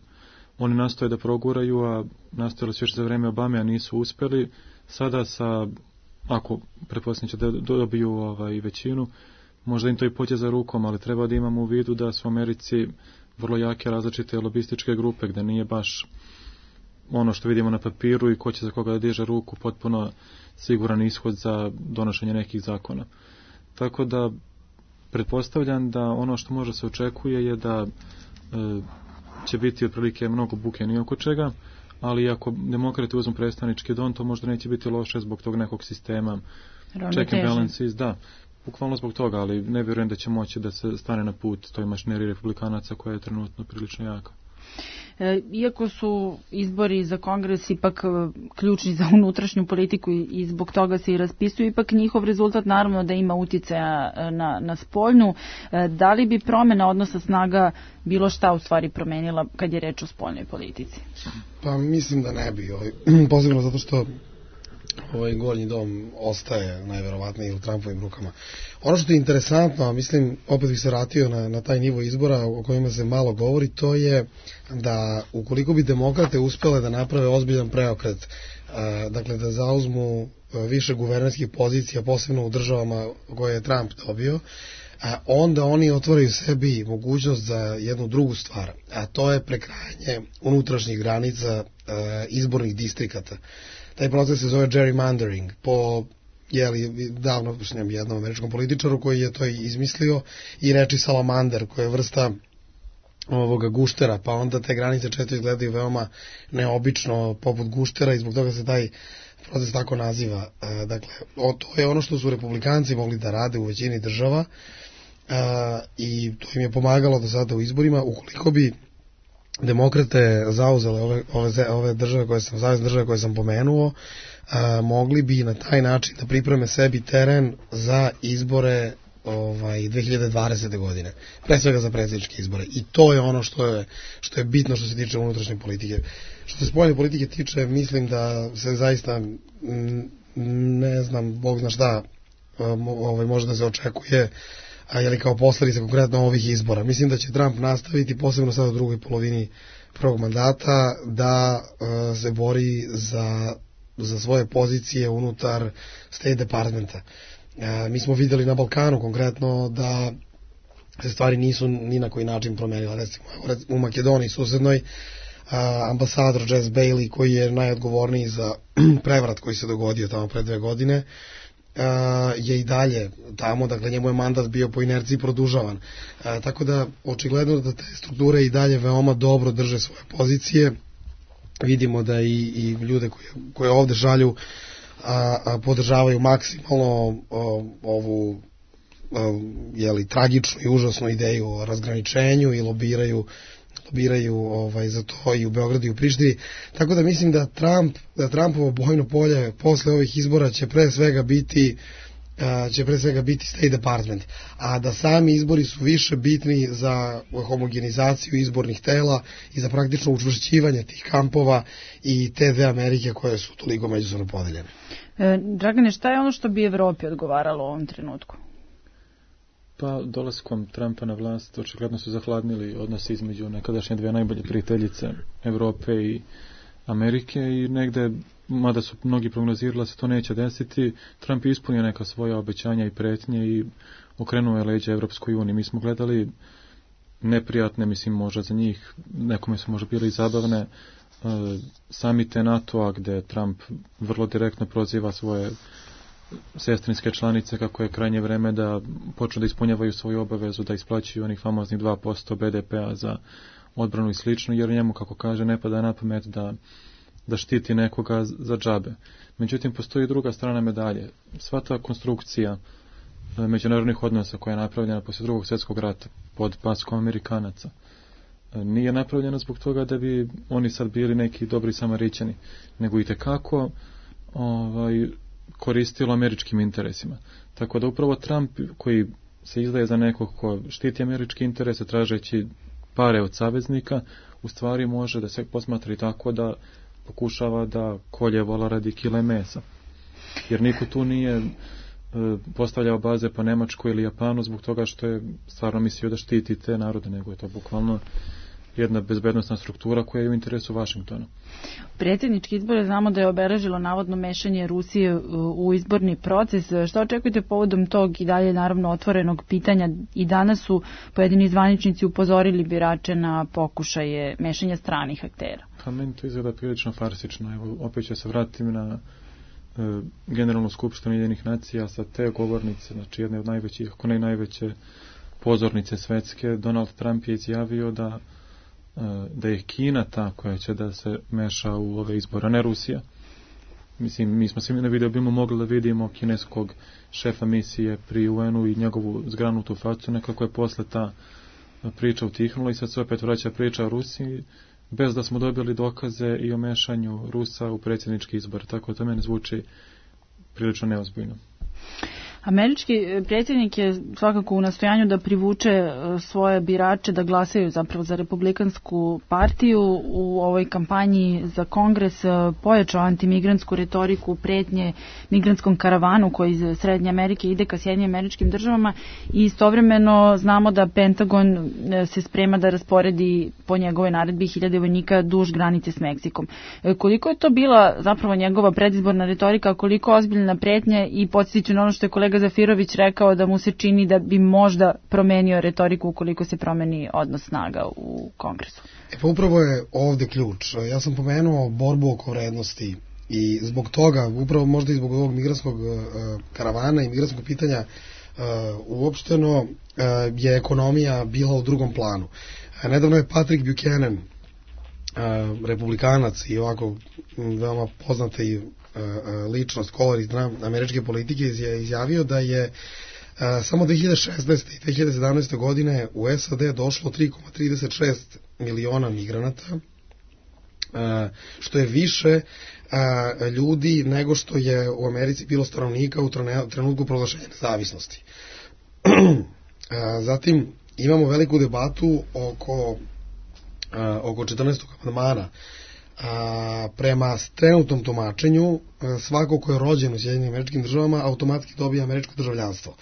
oni nastoje da proguraju, a nastojali su još za vreme Obame, a nisu uspjeli, sada ako pretpostavljam će da dobiju većinu, možda im to i pođe za rukom, ali treba da imamo u vidu da su u Americi vrlo jake različite lobističke grupe, gdje nije baš ono što vidimo na papiru i ko će za koga da diže ruku potpuno siguran ishod za donošenje nekih zakona. Tako da pretpostavljam da ono što može se očekuje je da će biti otprilike mnogo buke ni oko čega, ali ako demokrati uzmu predstavnički dom, to možda neće biti loše zbog tog nekog sistema check and balances, da, bukvalno zbog toga, ali ne vjerujem da će moći da se stane na put toj mašineriji republikanaca koja je trenutno prilično jaka. Iako su izbori za kongres ipak ključni za unutrašnju politiku i zbog toga se i raspisuju, ipak njihov rezultat naravno da ima utjecaja na spoljnu. Da li bi promjena odnosa snaga bilo šta u stvari promenila kad je reč o spoljnoj politici? Pa mislim da ne bi, posebno zato što ovaj gornji dom ostaje najverovatnije u Trumpovim rukama. Ono što je interesantno, mislim, opet bih se vratio na taj nivo izbora o kojima se malo govori, to je da ukoliko bi demokrate uspjele da naprave ozbiljan preokret, dakle da zauzmu više guvernerskih pozicija, posebno u državama koje je Trump dobio, onda oni otvaraju sebi mogućnost za jednu drugu stvar, a to je prekrajanje unutrašnjih granica izbornih distrikata. Taj proces se zove gerrymandering. Po davno jednom američkom političaru koji je to izmislio i reči salamander, koja je vrsta ovoga guštera, pa onda te granice često izgledaju veoma neobično poput guštera i zbog toga se taj proces tako naziva. Dakle, to je ono što su republikanci mogli da rade u većini država i to im je pomagalo do sada u izborima. Ukoliko bi demokrate zauzele ove države savezne države koje sam pomenuo, mogli bi na taj način da pripreme sebi teren za izbore 2020. godine, pre svega za predsjedničke izbore, i to je ono što je bitno što se tiče unutrašnje politike. Što se spoljne politike tiče, mislim da se zaista ne znam, Bog zna šta može da se očekuje, ali kao posledica konkretno ovih izbora. Mislim da će Trump nastaviti, posebno sad u drugoj polovini prvog mandata, da se bori za svoje pozicije unutar State Departmenta. Mi smo vidjeli na Balkanu konkretno da se stvari nisu ni na koji način promenile. Recimo u Makedoniji susednoj ambasador Jess Bailey, koji je najodgovorniji za prevrat koji se dogodio tamo pre 2 godine, je i dalje tamo, dakle njemu je mandat bio po inerciji produžavan. Tako da očigledno da te strukture i dalje veoma dobro drže svoje pozicije. Vidimo da i ljude koje ovde šalju podržavaju maksimalno ovu tragičnu i užasnu ideju o razgraničenju i lobiraju za to i u Beogradu i u Prištini. Tako da mislim da Trumpovo bojno polje posle ovih izbora će pre svega biti State Department, a da sami izbori su više bitni za homogenizaciju izbornih tela i za praktično učvršćivanje tih kampova i te dve Amerike koje su toliko međusobno podeljene. Dragane, šta je ono što bi Evropi odgovaralo u ovom trenutku? Pa dolaskom Trumpa na vlast očigledno su zahladnili odnosi između nekadašnje dve najbolje prijateljice Evrope i Amerike i negde, mada su mnogi prognozirali da se to neće desiti, Trump je ispunio neka svoja obećanja i pretnje i okrenuo je leđa Evropskoj uniji. Mi smo gledali neprijatne, mislim možda za njih, nekome su možda bili zabavne, samite NATO-a gde Trump vrlo direktno proziva svoje sestrinske članice kako je krajnje vreme da počnu da ispunjavaju svoju obavezu da isplaćuju onih famoznih 2% BDP-a za odbranu i slično, jer njemu, kako kaže, ne pada na pamet da štiti nekoga za džabe. Međutim, postoji druga strana medalje. Sva ta konstrukcija međunarodnih odnosa koja je napravljena poslije Drugog svjetskog rata pod paskom Amerikanaca nije napravljena zbog toga da bi oni sad bili neki dobri Samarićani, nego i tekako koristilo američkim interesima. Tako da upravo Trump, koji se izdaje za nekog ko štiti američke interese tražeći pare od saveznika, u stvari može da se posmatra i tako da pokušava da kolje vola radi kile mesa. Jer niko tu nije postavljao baze po Nemačkoj ili Japanu zbog toga što je stvarno mislio da štiti te narode, nego je to bukvalno jedna bezbednostna struktura koja je u interesu Vašingtona. Predsjednički izbore znamo da je obeležilo navodno mešanje Rusije u izborni proces. Šta očekujete povodom tog i dalje naravno otvorenog pitanja? I danas su pojedini zvaničnici upozorili birače na pokušaje mešanja stranih aktera. Pa meni to izgleda prilično farsično. Evo, opet ću se vratiti na Generalnu skupštinu Ujedinjenih nacija sa te govornice, znači jedne od najvećih, ako ne najveće pozornice svetske. Donald Trump je izjavio da je Kina ta koja će da se meša u ove izbore, a ne Rusija. Mislim, mi smo svi na video bimo mogli da vidimo kineskog šefa misije pri UN-u i njegovu zgranutu facu, nekako je posle ta priča utihnula i sad se opet vraća priča o Rusiji, bez da smo dobili dokaze i o mešanju Rusa u predsjednički izbor. Tako da to mene zvuči prilično neozbiljno. Američki predsjednik je svakako u nastojanju da privuče svoje birače da glasaju zapravo za Republikansku partiju. U ovoj kampanji za Kongres pojačao antimigrantsku retoriku, pretnje migrantskom karavanu koji iz Srednje Amerike ide ka Sjedinjenim Američkim Državama i istovremeno znamo da Pentagon se sprema da rasporedi po njegovoj naredbi 1000 vojnika duž granice s Meksikom. Koliko je to bila zapravo njegova predizborna retorika, koliko ozbiljna pretnja i podsjetiću na ono što je kolega Zafirović rekao da mu se čini da bi možda promenio retoriku ukoliko se promeni odnos snaga u Kongresu. Pa upravo je ovde ključ. Ja sam pomenuo borbu oko vrednosti I zbog toga, upravo možda i zbog ovog migrantskog karavana i migrantskog pitanja uopšteno je ekonomija bila u drugom planu. Nedavno je Patrick Buchanan, republikanac i ovako veoma poznata i ličnost, kolorit američke politike, je izjavio da je samo 2016. i 2017. godine u SAD došlo 3,36 miliona migranata, što je više ljudi nego što je u Americi bilo stanovnika u trenutku proglašenja nezavisnosti. Zatim imamo veliku debatu oko 14. amandmana. Prema trenutnom tumačenju, svako ko je rođen u Sjedinjenim Američkim Državama automatski dobija američko državljanstvo.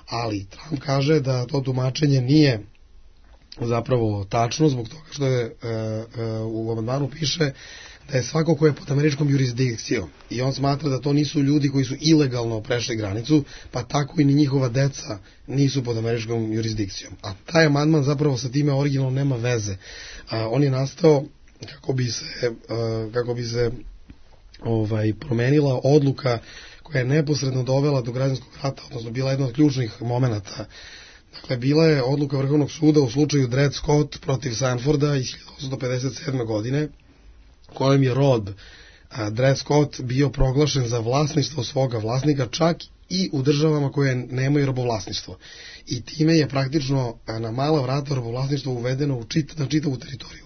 Ali Trump kaže da to tumačenje nije zapravo tačno, zbog toga što je u amandmanu piše da je svako ko je pod američkom jurisdikcijom, i on smatra da to nisu ljudi koji su ilegalno prešli granicu, pa tako i ni njihova deca nisu pod američkom jurisdikcijom. A taj amandman zapravo sa time originalno nema veze. On je nastao kako bi se promenila odluka koja je neposredno dovela do građanskog rata, odnosno bila jedna od ključnih momenata. Dakle, bila je odluka Vrhovnog suda u slučaju Dred Scott protiv Sanforda iz 1857. godine, kojom je rod Dred Scott bio proglašen za vlasništvo svoga vlasnika, čak i u državama koje nemaju robovlasništvo. I time je praktično na mala vrata robovlasništvo uvedeno na čitavu teritoriju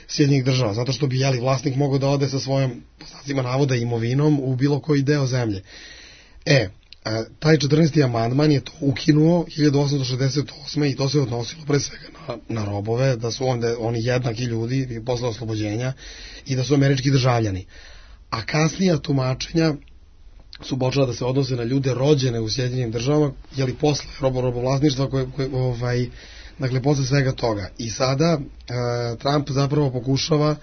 Sjedinjenih Država, zato što bi vlasnik mogao da ode sa svojom, po znacima navoda, imovinom u bilo koji deo zemlje. Taj 14. amandman je to ukinuo 1868. i to se odnosilo pre svega na robove, da su oni jednaki ljudi posle oslobođenja i da su američki državljani. A kasnija tumačenja su počela da se odnose na ljude rođene u Sjedinjenim Državama, posle robovlasništva dakle, posle svega toga. I sada Trump zapravo pokušava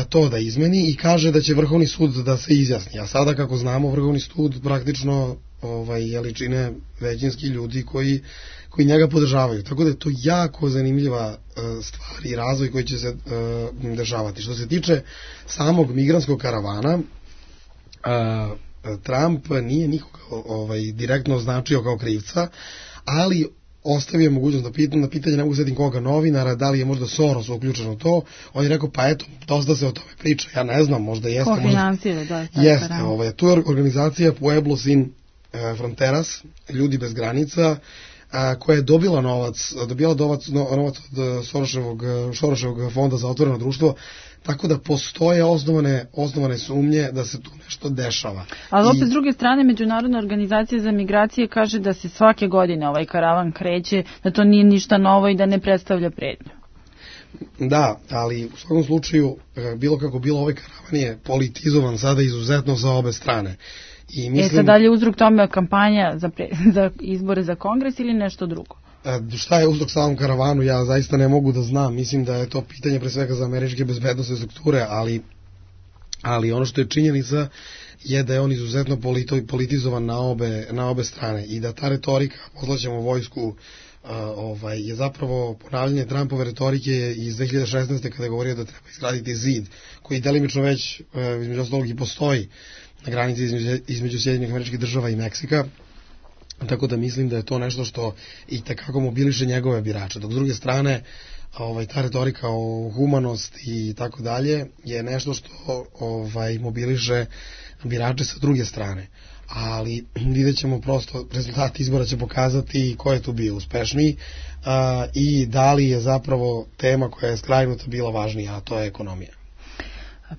to da izmeni i kaže da će Vrhovni sud da se izjasni. A sada, kako znamo, Vrhovni sud praktično čine većinski ljudi koji njega podržavaju. Tako da je to jako zanimljiva stvar i razvoj koji će se dešavati. Što se tiče samog migrantskog karavana, Trump nije nikoga direktno označio kao krivca, ali ostavio mogućnost na pitanje, ne mogu setim koga novinara, da li je možda Soros uključen u to. On je rekao, pa eto, dosta se o tome priča, ja ne znam, možda jeste. Ko finansira, da. Jeste, tu je organizacija Pueblo Sin Fronteras, ljudi bez granica, koja je dobila novac od Soroševog fonda za otvoreno društvo, tako da postoje osnovane sumnje da se tu nešto dešava. Ali opet s druge strane, Međunarodna organizacija za migracije kaže da se svake godine ovaj karavan kreće, da to nije ništa novo i da ne predstavlja pretnju. Da, ali u svakom slučaju, bilo kako bilo, ovaj karavan je politizovan sada izuzetno za obe strane. I mislim, sad dalje uzrok tome kampanja za izbore za kongres ili nešto drugo? Šta je uzrok samom karavanu, ja zaista ne mogu da znam. Mislim da je to pitanje pre svega za američke bezbednosne strukture, ali ono što je činjenica je da je on izuzetno politizovan na obe strane i da ta retorika, poslaćemo vojsku, je zapravo ponavljanje Trumpove retorike iz 2016. kada je govorio da treba izgraditi zid, koji delimično već između ostalog i postoji na granici između Sjedinjenih Američkih Država i Meksika. Tako da mislim da je to nešto što i tekako mobiliše njegove birače. Dok s druge strane, ta retorika o humanosti i tako dalje je nešto što mobiliše birače sa druge strane. Ali vidjet ćemo prosto, rezultati izbora će pokazati ko je tu bio uspešniji i da li je zapravo tema koja je skrajnuta bila važnija, a to je ekonomija.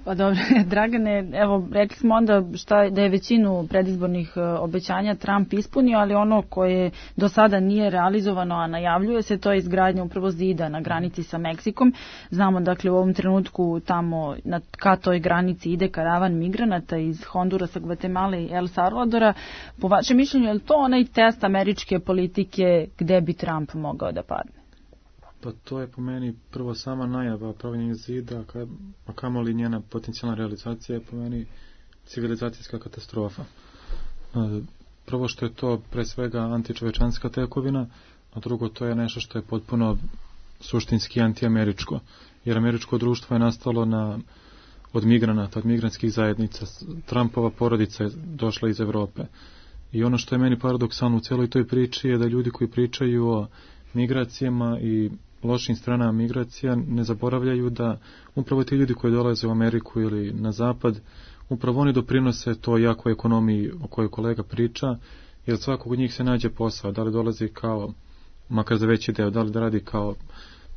Pa dobro, Dragane, evo, rekli smo onda da je većinu predizbornih obećanja Trump ispunio, ali ono koje do sada nije realizovano, a najavljuje se, to je izgradnja upravo zida na granici sa Meksikom. Znamo, dakle, u ovom trenutku tamo ka toj granici ide karavan migranata iz Hondurasa, Gvatemale i El Salvadora. Po vašem mišljenju, je li to onaj test američke politike gde bi Trump mogao da padne? Pa to je po meni prvo sama najava pravljenja zida, a kamoli njena potencijalna realizacija je po meni civilizacijska katastrofa. Prvo što je to pre svega antičovečanska tekovina, a drugo to je nešto što je potpuno suštinski antiameričko. Jer američko društvo je nastalo na od migranata, od migrantskih zajednica. Trumpova porodica je došla iz Evrope. I ono što je meni paradoksalno u celoj toj priči je da ljudi koji pričaju o migracijama i lošim stranama migracija ne zaboravljaju da upravo ti ljudi koji dolaze u Ameriku ili na zapad, upravo oni doprinose toj jakoj ekonomiji o kojoj kolega priča, jer svakog od njih se nađe posao, da li dolazi kao, makar za veći deo, da li da radi kao,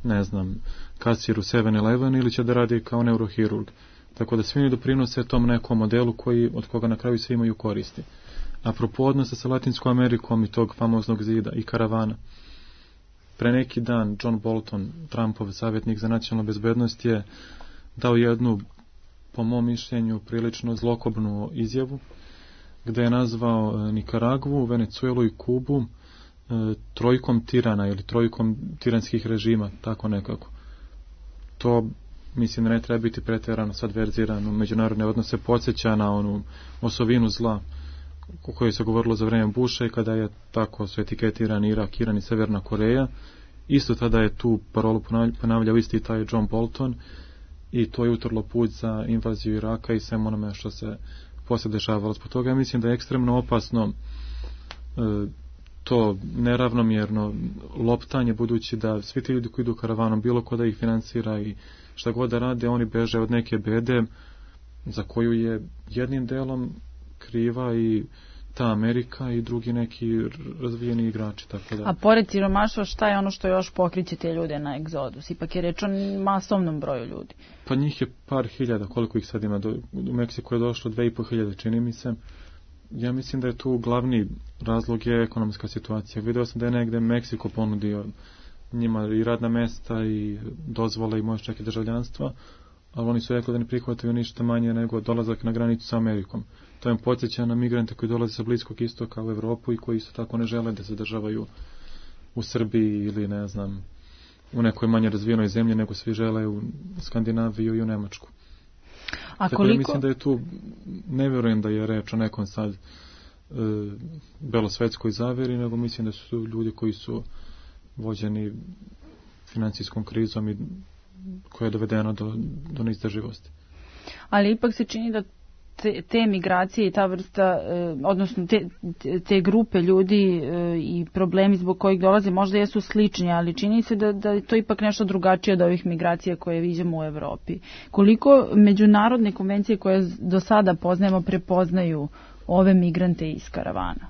ne znam, kasir u 7-Eleven ili će da radi kao neurohirurg. Tako da svi oni doprinose tom nekom modelu od koga na kraju svi imaju koristi. Apropo odnosa sa Latinskom Amerikom i tog famoznog zida i karavana. Pre neki dan John Bolton, Trumpov savjetnik za nacionalnu bezbednost, je dao jednu, po mom mišljenju, prilično zlokobnu izjavu, gde je nazvao Nikaragvu, Venecuelu i Kubu trojkom tirana ili trojkom tiranskih režima, tako nekako. To, mislim, ne treba biti preterano sad verzirano. Međunarodne odnose podsjeća na onu osovinu zla o kojoj se govorilo za vreme Busha i kada je tako su etiketirani Irak, Iran i Severna Koreja. Isto tada je tu parolu ponavljao isti taj John Bolton i to je utrlo put za invaziju Iraka i svem onome što se poslije dešavalo. Zbog toga ja mislim da je ekstremno opasno to neravnomjerno loptanje, budući da svi ti ljudi koji idu karavanom, bilo ko da ih finansira i šta god da rade, oni beže od neke bede za koju je jednim delom kriva i ta Amerika i drugi neki razvijeni igrači. Tako da. A pored siromaštva, šta je ono što još pokriće te ljude na egzodus? Ipak je reč o masovnom broju ljudi. Pa njih je par hiljada, koliko ih sad ima. U Meksiku je došlo 2500, čini mi se. Ja mislim da je tu glavni razlog je ekonomska situacija. Video sam da je negde Meksiko ponudio njima i radna mesta i dozvole i možda čak i državljanstva, ali oni su rekli da ne prihvataju ništa manje nego dolazak na granicu sa Amerikom. To im podsjeća na migrante koji dolaze sa Bliskog istoka u Evropu i koji isto tako ne žele da se državaju u Srbiji ili ne znam u nekoj manje razvijenoj zemlji, nego svi žele u Skandinaviju i u Nemačku. A tako koliko? Da mislim da je tu, ne vjerujem da je reč o nekom sad belosvetskoj zaveri, nego mislim da su ljudi koji su vođeni financijskom krizom i koja je dovedena do neizdrživosti. Ali ipak se čini da te migracije i ta vrsta, odnosno te grupe ljudi i problemi zbog kojih dolaze možda jesu slični, ali čini se da je to ipak nešto drugačije od ovih migracija koje viđamo u Evropi. Koliko međunarodne konvencije koje do sada poznajemo prepoznaju ove migrante iz karavana?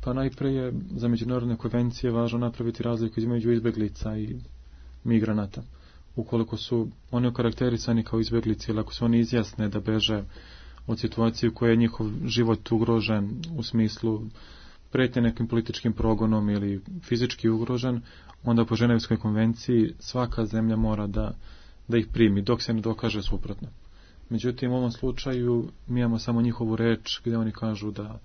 Pa najpre je za međunarodne konvencije važno napraviti razliku između izbeglica i migranata. Ukoliko su oni okarakterisani kao izbeglici ili ako se oni izjasne da beže od situacije u kojoj je njihov život ugrožen u smislu pretnje nekim političkim progonom ili fizički ugrožen, onda po Ženevskoj konvenciji svaka zemlja mora da ih primi, dok se ne dokaže suprotno. Međutim, u ovom slučaju mi imamo samo njihovu reč gdje oni kažu da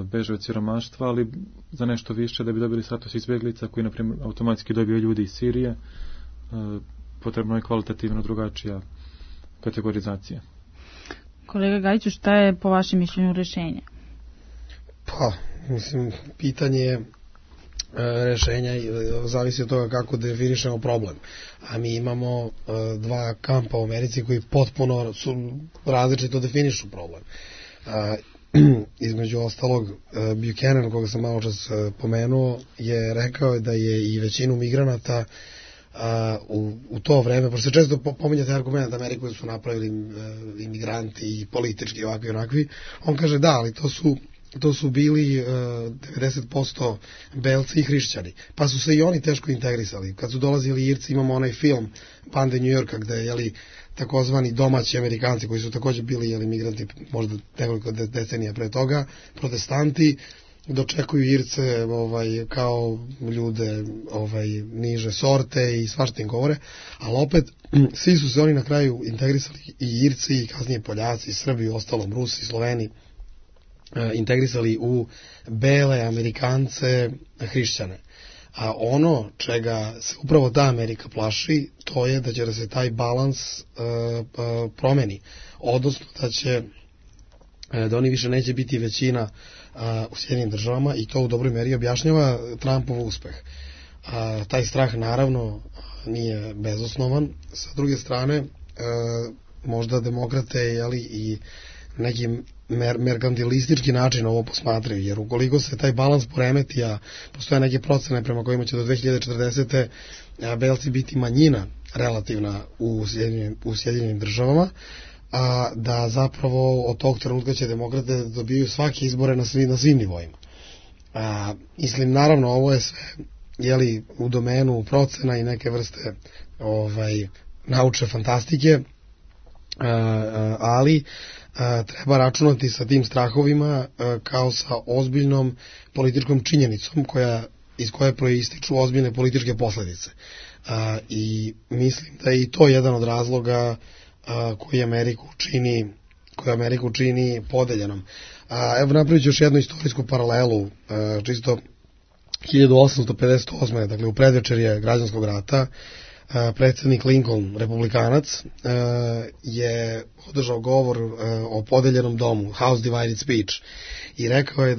beže od siromaštva, ali za nešto više da bi dobili status izbjeglica koji, na primjer, automatski dobiju ljudi iz Sirije, potrebno je kvalitativno drugačija kategorizacija. Kolega Gajiću, šta je po vašem mišljenju rješenje? Pa, mislim, pitanje rješenja zavisi od toga kako definišemo problem. A mi imamo dva kampa u Americi koji potpuno su različito definišu problem. Između ostalog, Buchanan, koga sam malo čas pomenuo, je rekao da je i većinu migranata u to vreme, pošto se često pominja taj argument da Ameriku su napravili imigranti i politički ovakvi i onakvi, on kaže da, ali to su bili 90% belci i hrišćani, pa su se i oni teško integrisali. Kad su dolazili Irci, imamo onaj film Bande New Yorka gde je takozvani domaći Amerikanci koji su također bili migranti možda nekoliko decenija pre toga, protestanti, dočekuju Irce kao ljude niže sorte i svašta im govore, ali opet svi su se oni na kraju integrisali, i Irci i kasnije Poljaci, i Srbi, ostalom Rusi, Sloveni, integrisali u bele Amerikance, hrišćane. A ono čega se upravo ta Amerika plaši, to je da će da se taj balans promeni, odnosno da oni više neće biti većina u Sjedinjenim državama, i to u dobroj meri objašnjava Trumpov uspeh. Taj strah naravno nije bezosnovan. Sa druge strane, možda demokrate i neki merkantilistički način ovo posmatraju, jer ukoliko se taj balans poremeti, a postoje neke procene prema kojima će do 2040. belci biti manjina relativna u Sjedinjenim državama, a da zapravo od tog trenutka će demokrate dobiju svake izbore na svim nivoima. Mislim, naravno, ovo je sve u domenu procena i neke vrste naučne fantastike, ali treba računati sa tim strahovima kao sa ozbiljnom političkom činjenicom iz koje proističu ozbiljne političke posledice. I mislim da je i to jedan od razloga koji Ameriku čini podeljenom. Evo, napravit ću još jednu istorijsku paralelu, čisto 1858. dakle u predvečerje građanskog rata, predsjednik Lincoln, republikanac, je održao govor o podeljenom domu, House Divided Speech, i rekao je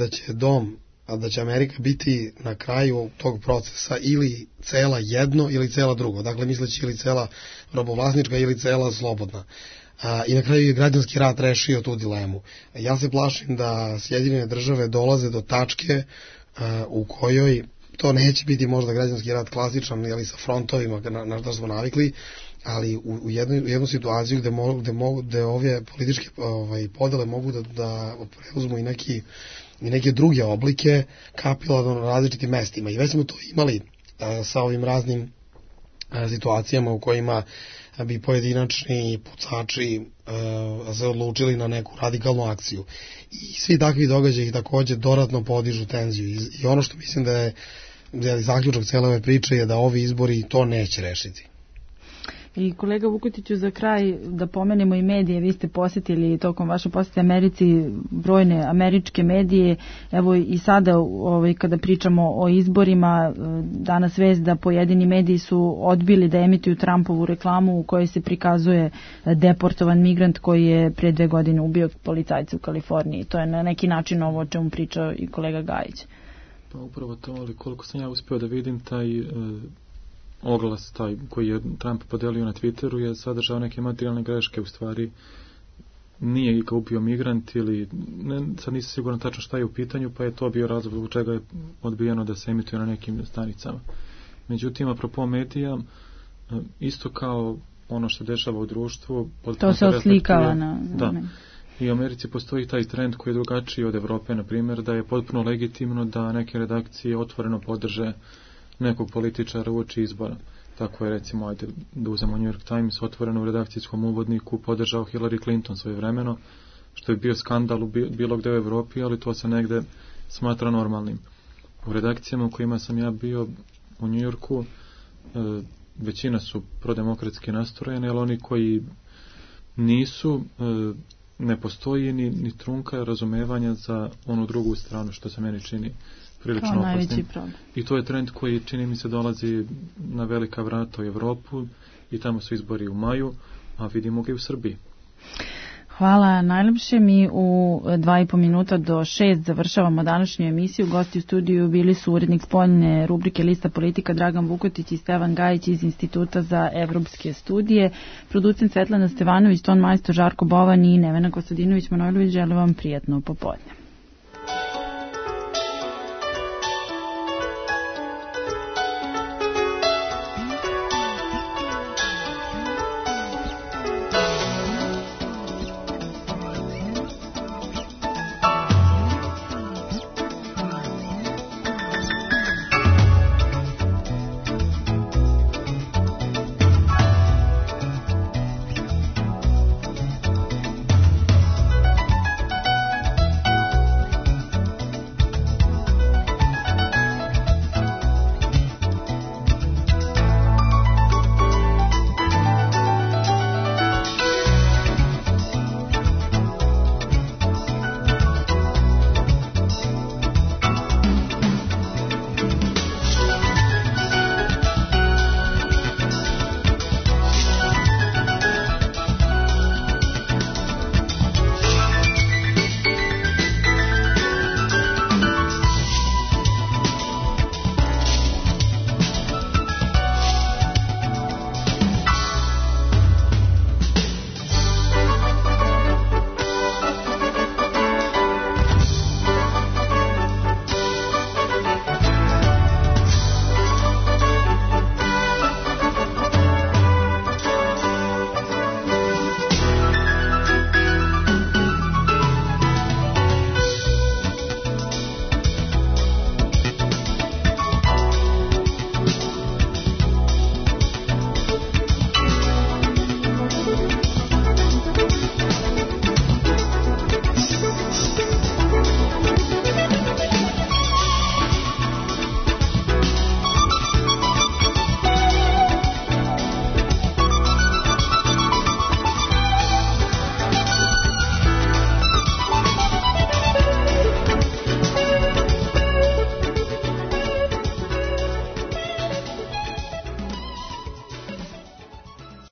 da će Amerika biti na kraju tog procesa ili cela jedno ili cela drugo, dakle misleći ili cela robovlasnička ili cela slobodna. I na kraju je građanski rat rešio tu dilemu. Ja se plašim da Sjedinjene države dolaze do tačke u kojoj to neće biti možda građanski rat klasičan, ili sa frontovima na što smo navikli, ali u jednu situaciju gde ove političke podele mogu da preuzmu i neke druge oblike kapilarno na različitim mestima. I već smo to imali sa ovim raznim situacijama u kojima bi pojedinačni pucači se odlučili na neku radikalnu akciju. I svi takvi događaji također dodatno podižu tenziju. I ono što mislim da je zaključak cijele ove priče je da ovi izbori to neće rešiti. I kolega Vukotiću, za kraj da pomenemo i medije. Vi ste posjetili tokom vaše posjete Americi brojne američke medije. Evo i sada kada pričamo o izborima, danas vest da pojedini mediji su odbili da emituju Trumpovu reklamu u kojoj se prikazuje deportovan migrant koji je pre 2 godine ubio policajca u Kaliforniji. To je na neki način ovo o čemu pričao i kolega Gajić. Pa upravo to, ali koliko sam ja uspio da vidim, taj oglas koji je Trump podelio na Twitteru je sadržao neke materijalne greške, u stvari nije ga ubio migrant ili sad nisam siguran tačno šta je u pitanju, pa je to bio razlog zbog čega je odbijeno da se emituje na nekim stanicama. Međutim, apropo medija, isto kao ono što dešava u društvu, to se oslikava na i u Americi postoji taj trend koji je drugačiji od Evrope, na primjer, da je potpuno legitimno da neke redakcije otvoreno podrže nekog političara uoči izbora. Tako je, recimo, da uzemo New York Times, otvoreno u redakcijskom uvodniku podržao Hillary Clinton svojevremeno, što je bio skandal u bilo gde u Evropi, ali to se negde smatra normalnim. U redakcijama u kojima sam ja bio u New Yorku, većina su prodemokratski nastrojeni, ali oni koji nisu, ne postoji ni trunka razumevanja za onu drugu stranu, što se meni čini prilično opasnim. I to je trend koji, čini mi se, dolazi na velika vrata u Evropu i tamo su izbori u maju, a vidimo ga i u Srbiji. Hvala najlepše. Mi u 2,5 minuta do 6 završavamo današnju emisiju. Gosti u studiju bili su urednik spoljne rubrike Lista politika Dragan Vukotić i Stevan Gajić iz Instituta za evropske studije. Producent Svetlana Stevanović, ton majstor Žarko Bovan i Nevena Kostadinović Manojlović. Želim vam prijatno popodne.